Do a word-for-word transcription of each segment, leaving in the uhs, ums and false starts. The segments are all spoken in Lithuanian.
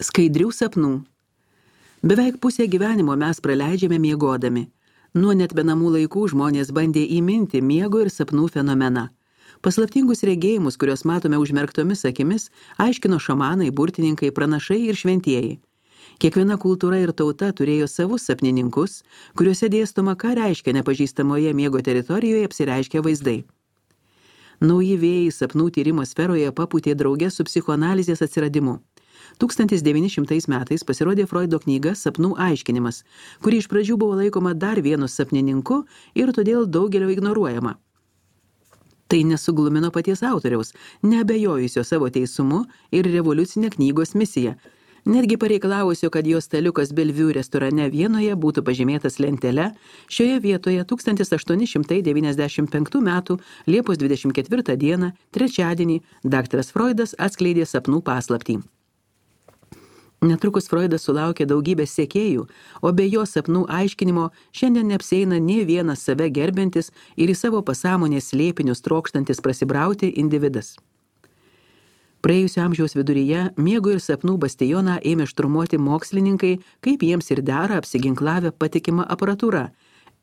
Skaidrių sapnų. Beveik pusę gyvenimo mes praleidžiame miegodami. Nuo net be namų laikų žmonės bandė įminti miego ir sapnų fenomeną. Paslaptingus regėjimus, kuriuos matome užmerktomis akimis, aiškino šamanai, burtininkai, pranašai ir šventieji. Kiekviena kultūra ir tauta turėjo savus sapnininkus, kuriuose dėstoma, ką reiškia nepažįstamoje miego teritorijoje apsireiškia vaizdai. Nauji vėjai sapnų tyrimo sferoje papūtė drauge su psichoanalizės atsiradimu. tūkstantis devyni šimtai metais pasirodė Freudo knyga Sapnų aiškinimas, kuri iš pradžių buvo laikoma dar vienu sapnininku ir todėl daugelio ignoruojama. Tai nesuglumino paties autoriaus, neabejojusio savo teisumu ir revoliucinė knygos misija, netgi pareikalavusio, kad jo staliukas Bellevue restorane Vienoje būtų pažymėtas lentele. Šioje vietoje tūkstantis aštuoni šimtai devyniasdešimt penktų metų Liepos dvidešimt ketvirtą dieną, trečiadienį, daktaras Freudas atskleidė sapnų paslaptį. Netrukus Freudas sulaukė daugybės sekėjų, o be jo sapnų aiškinimo šiandien neapsieina nė vienas save gerbiantis ir į savo pasąmonės slėpinius trokštantis prasibrauti individas. Praėjusio amžiaus viduryje miego ir sapnų bastioną ėmė šturmuoti mokslininkai, kaip jiems ir dera apsiginklavę patikimą aparatūrą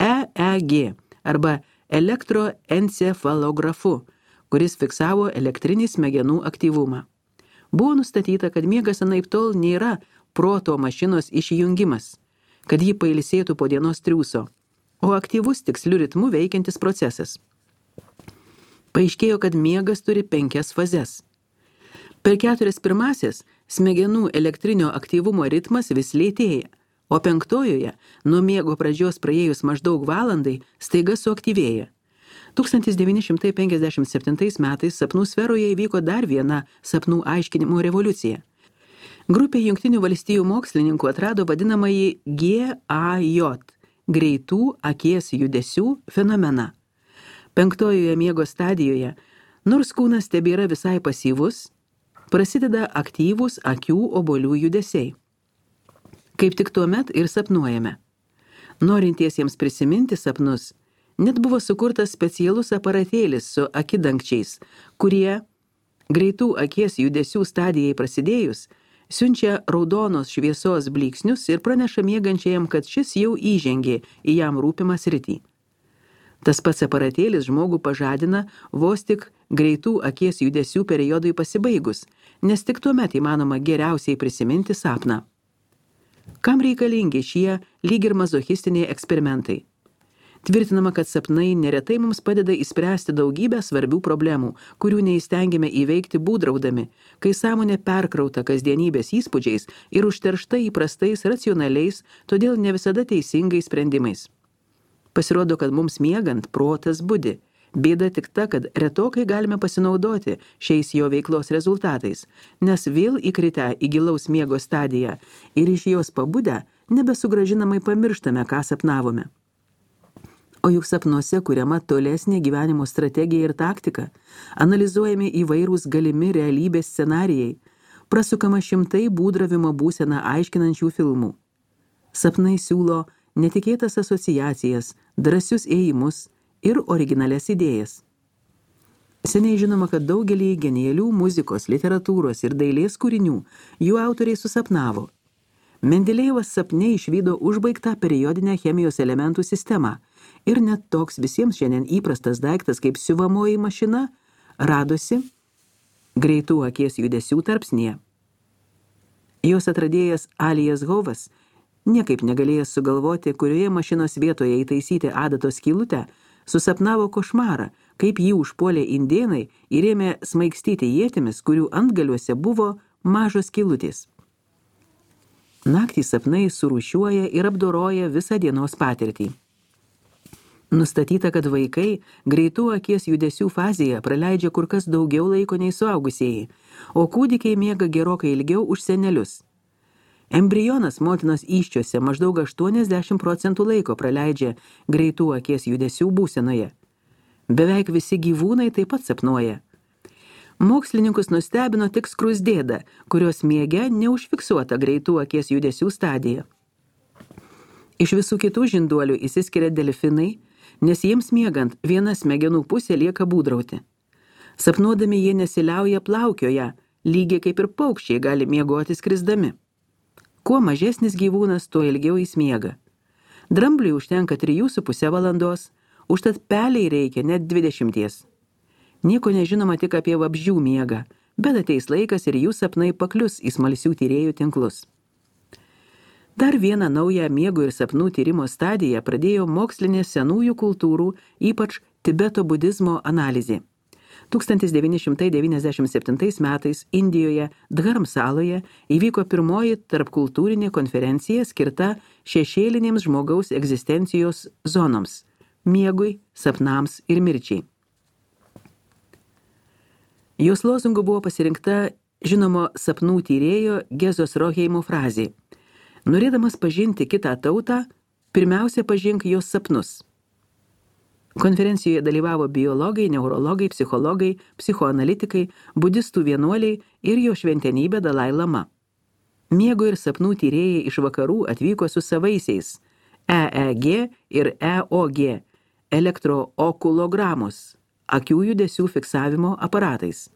E E G arba elektroencefalografu, kuris fiksavo elektrinį smegenų aktyvumą. Buvo nustatyta, kad miegas anaiptol nėra proto mašinos išjungimas, kad ji pailsėtų po dienos triūso, o aktyvus tiksliu ritmu veikiantis procesas. Paaiškėjo, kad miegas turi penkias fazes. Per keturias pirmasis smegenų elektrinio aktyvumo ritmas vis lėtėja, o penktojoje, nuo miego pradžios praėjus maždaug valandai, staiga suaktyvėja. tūkstantis devyni šimtai penkiasdešimt septintais metais sapnų sferoje įvyko dar viena sapnų aiškinimo revoliucija. Grupė Jungtinių valstijų mokslininkų atrado vadinamąjį G A J – greitų akies judesių fenomeną. Penktojoje miego stadijoje, nors kūnas tebėra visai pasyvus, prasideda aktyvūs akių obuolių judesiai. Kaip tik tuomet ir sapnuojame. Norintiesiems prisiminti sapnus, net buvo sukurtas specialus aparatėlis su akidangčiais, kurie, greitų akies judesių stadijai prasidėjus, siunčia raudonos šviesos blyksnius ir praneša miegančiajam, kad šis jau įžengė į jam rūpimą sritį. Tas pats aparatėlis žmogų pažadina vos tik greitų akies judesių periodui pasibaigus, nes tik tuomet įmanoma geriausiai prisiminti sapną. Kam reikalingi šie lyg ir mazochistiniai eksperimentai? Tvirtinama, kad sapnai neretai mums padeda įspręsti daugybę svarbių problemų, kurių neįstengiame įveikti būdraudami, kai sąmonė perkrauta kasdienybės įspūdžiais ir užteršta įprastais racionaliais, todėl ne visada teisingais sprendimais. Pasirodo, kad mums miegant protas budi. Bėda tik ta, kad retokai galime pasinaudoti šiais jo veiklos rezultatais, nes vėl įkritę į gilaus miego stadiją ir iš jos pabudę nebesugražinamai pamirštame, ką sapnavome. O juk sapnuose kuriama tolesnė gyvenimo strategija ir taktika, analizuojami įvairūs galimi realybės scenarijai, prasukama šimtai būdravimo būseną aiškinančių filmų. Sapnai siūlo netikėtas asociacijas, drąsius ėjimus ir originalias idėjas. Seniai žinoma, kad daugelį genialių muzikos, literatūros ir dailės kūrinių jų autoriai susapnavo. Mendelejevas sapne išvydo užbaigtą periodinę chemijos elementų sistemą ir net toks visiems šiandien įprastas daiktas kaip siuvamoji mašina radosi greitų akies judesių tarpsnyje. Jos atradėjas Alijas Hovas, niekaip negalėjęs sugalvoti, kurioje mašinos vietoje įtaisyti adatos skylutę, susapnavo košmarą, kaip jį užpuolė indėnai ir ėmė smaigstyti ietimis, kurių antgaliuose buvo mažos skylutės. Naktį sapnai surūšiuoja ir apdoroja visą dienos patirtį. Nustatyta, kad vaikai greitų akies judesių fazėje praleidžia kur kas daugiau laiko nei suaugusieji, o kūdikiai miega gerokai ilgiau už senelius. Embrionas motinos įsčiuose maždaug aštuoniasdešimt procentų laiko praleidžia greitų akies judesių būsenoje. Beveik visi gyvūnai taip pat sapnuoja. Mokslininkus nustebino tik skruzdėda, kurios miege neužfiksuota greitų akies judesių stadija. Iš visų kitų žinduolių išsiskiria delfinai, nes jiems miegant viena smegenų pusė lieka būdrauti. Sapnuodami jie nesiliauja plaukioja, lygiai kaip ir paukščiai gali miegoti skrisdami. Kuo mažesnis gyvūnas, tuo ilgiau jis miega. Drambliui užtenka trijų su pusė valandos, užtat peliai reikia net dvidešimties. Nieko nežinoma tik apie vabzdžių miegą, bet ateis laikas ir jų sapnai paklius į smalsių tyrėjų tinklus. Dar vieną naują miego ir sapnų tyrimo stadiją pradėjo mokslinė senųjų kultūrų, ypač Tibeto budizmo analizė. tūkstantis devyni šimtai devyniasdešimt septintais metais Indijoje Dharmsaloje įvyko pirmoji tarpkultūrinė konferencija skirta šešėlinėms žmogaus egzistencijos zonoms – miegui, sapnams ir mirčiai. Jos lozungu buvo pasirinkta žinomo sapnų tyrėjo Gezos Roheimo frazė: norėdamas pažinti kitą tautą, pirmiausia pažink jos sapnus. Konferencijoje dalyvavo biologai, neurologai, psichologai, psichoanalitikai, budistų vienuoliai ir jo šventenybė Dalai Lama. Miego ir sapnų tyrėjai iš vakarų atvyko su savaisiais E E G ir E O G elektrookulogramos, akių judesių fiksavimo aparatais,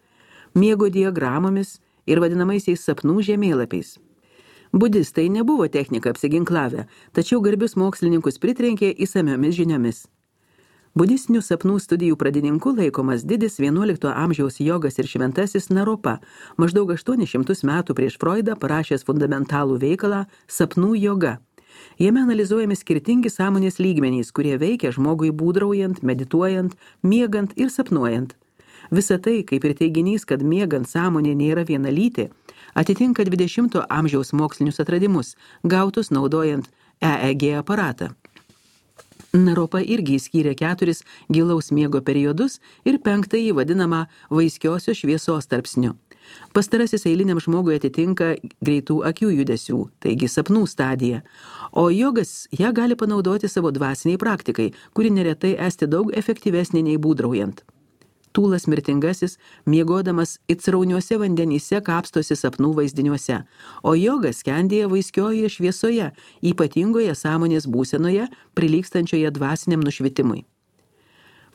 miego diagramomis ir vadinamaisiais sapnų žemėlapiais. Budistai nebuvo technika apsiginklavę, tačiau garbius mokslininkus pritrenkė įsamiomis žiniomis. Budistinių sapnų studijų pradininku laikomas didis vienuolikto amžiaus jogas ir šventasis Naropa, maždaug aštuonis šimtus metų prieš Freudą parašęs fundamentalų veikalą Sapnų joga. Jame analizuojami skirtingi sąmonės lygmenys, kurie veikia žmogui būdraujant, medituojant, miegant ir sapnuojant. Visa tai, kaip ir teiginys, kad miegant sąmonė nėra vienalytė, atitinka dvidešimto amžiaus mokslinius atradimus, gautus naudojant E E G aparatą. Naropa irgi skyrė keturis gilaus miego periodus ir penktąjį vadinamą vaiskiosios šviesos tarpsniu. Pastarasis eiliniam žmogui atitinka greitų akių judesių, taigi sapnų stadiją, o jogas ją gali panaudoti savo dvasiniai praktikai, kuri neretai esti daug efektyvesnė nei būdraujant. Tūlas mirtingasis, miegodamas itsrauniuose vandenyse kapstosi sapnų vaizdiniuose, o jogas skendėja vaiskiojoje šviesoje, ypatingoje sąmonės būsenoje, prilygstančioje dvasiniam nušvitimui.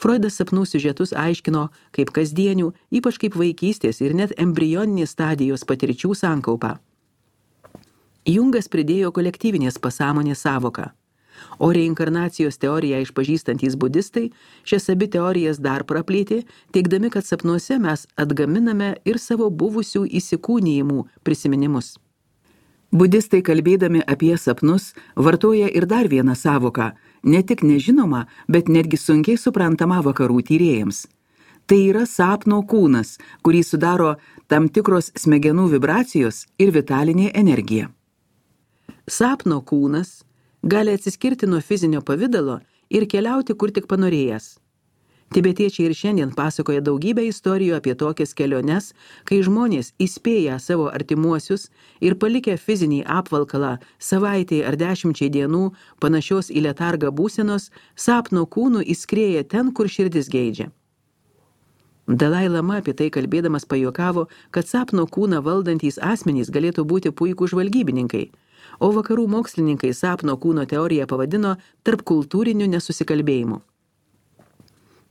Freudas sapnų siužetus aiškino kaip kasdienių, ypač kaip vaikystės ir net embrioninės stadijos patirčių sankaupą. Jungas pridėjo kolektyvinės pasąmonės sąvoką. O reinkarnacijos teoriją išpažįstantys budistai šias abi teorijas dar praplėtė, teigdami, kad sapnuose mes atgaminame ir savo buvusių įsikūnijimų prisiminimus. Budistai kalbėdami apie sapnus vartoja ir dar vieną sąvoką, ne tik nežinomą, bet netgi sunkiai suprantamą vakarų tyrėjams. Tai yra sapno kūnas, kurį sudaro tam tikros smegenų vibracijos ir vitalinė energija. Sapno kūnas gali atsiskirti nuo fizinio pavidalo ir keliauti kur tik panorėjęs. Tibetiečiai ir šiandien pasakoja daugybę istorijų apie tokias keliones, kai žmonės įspėja savo artimuosius ir palikę fizinį apvalkalą savaitėj ar dešimčiai dienų panašios į letargą būsenos, sapno kūnų įskrieja ten, kur širdis geidžia. Dalai Lama apie tai kalbėdamas pajuokavo, kad sapno kūną valdantys asmenys galėtų būti puikūs žvalgybininkai, o vakarų mokslininkai sapno kūno teoriją pavadino tarpkultūriniu nesusikalbėjimu.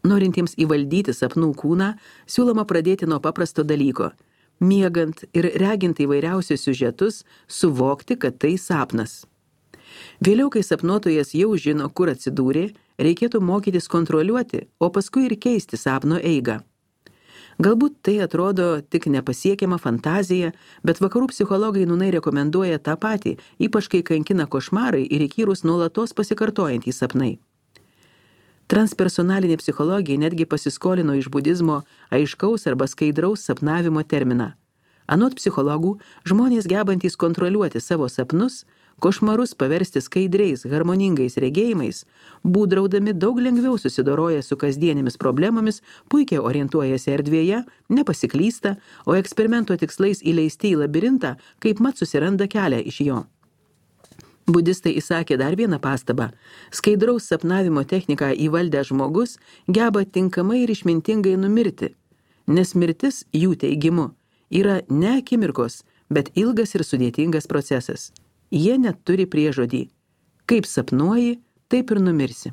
Norintiems įvaldyti sapnų kūną, siūloma pradėti nuo paprasto dalyko – miegant ir regint įvairiausius siužetus, suvokti, kad tai sapnas. Vėliau, kai sapnuotojas jau žino, kur atsidūrė, reikėtų mokytis kontroliuoti, o paskui ir keisti sapno eigą. Galbūt tai atrodo tik nepasiekiama fantazija, bet vakarų psichologai nūnai rekomenduoja tą patį, ypač kai kankina košmarai ir įkyrūs nuolatos pasikartojantys sapnai. Transpersonalinė psichologija netgi pasiskolino iš budizmo aiškaus arba skaidraus sapnavimo terminą. Anot psichologų, žmonės gebantys kontroliuoti savo sapnus, košmarus paversti skaidriais, harmoningais regėjimais, būdraudami daug lengviau susidoroja su kasdienėmis problemomis, puikiai orientuojasi erdvėje, nepasiklysta, o eksperimento tikslais įleisti į labirintą, kaip mat susiranda kelią iš jo. Budistai įsakė dar vieną pastabą. Skaidraus sapnavimo techniką įvaldę žmogus geba tinkamai ir išmintingai numirti, nes mirtis, jų teigimu, yra ne akimirkos, bet ilgas ir sudėtingas procesas. Jie net turi priežodį. Kaip sapnuoji, taip ir numirsi.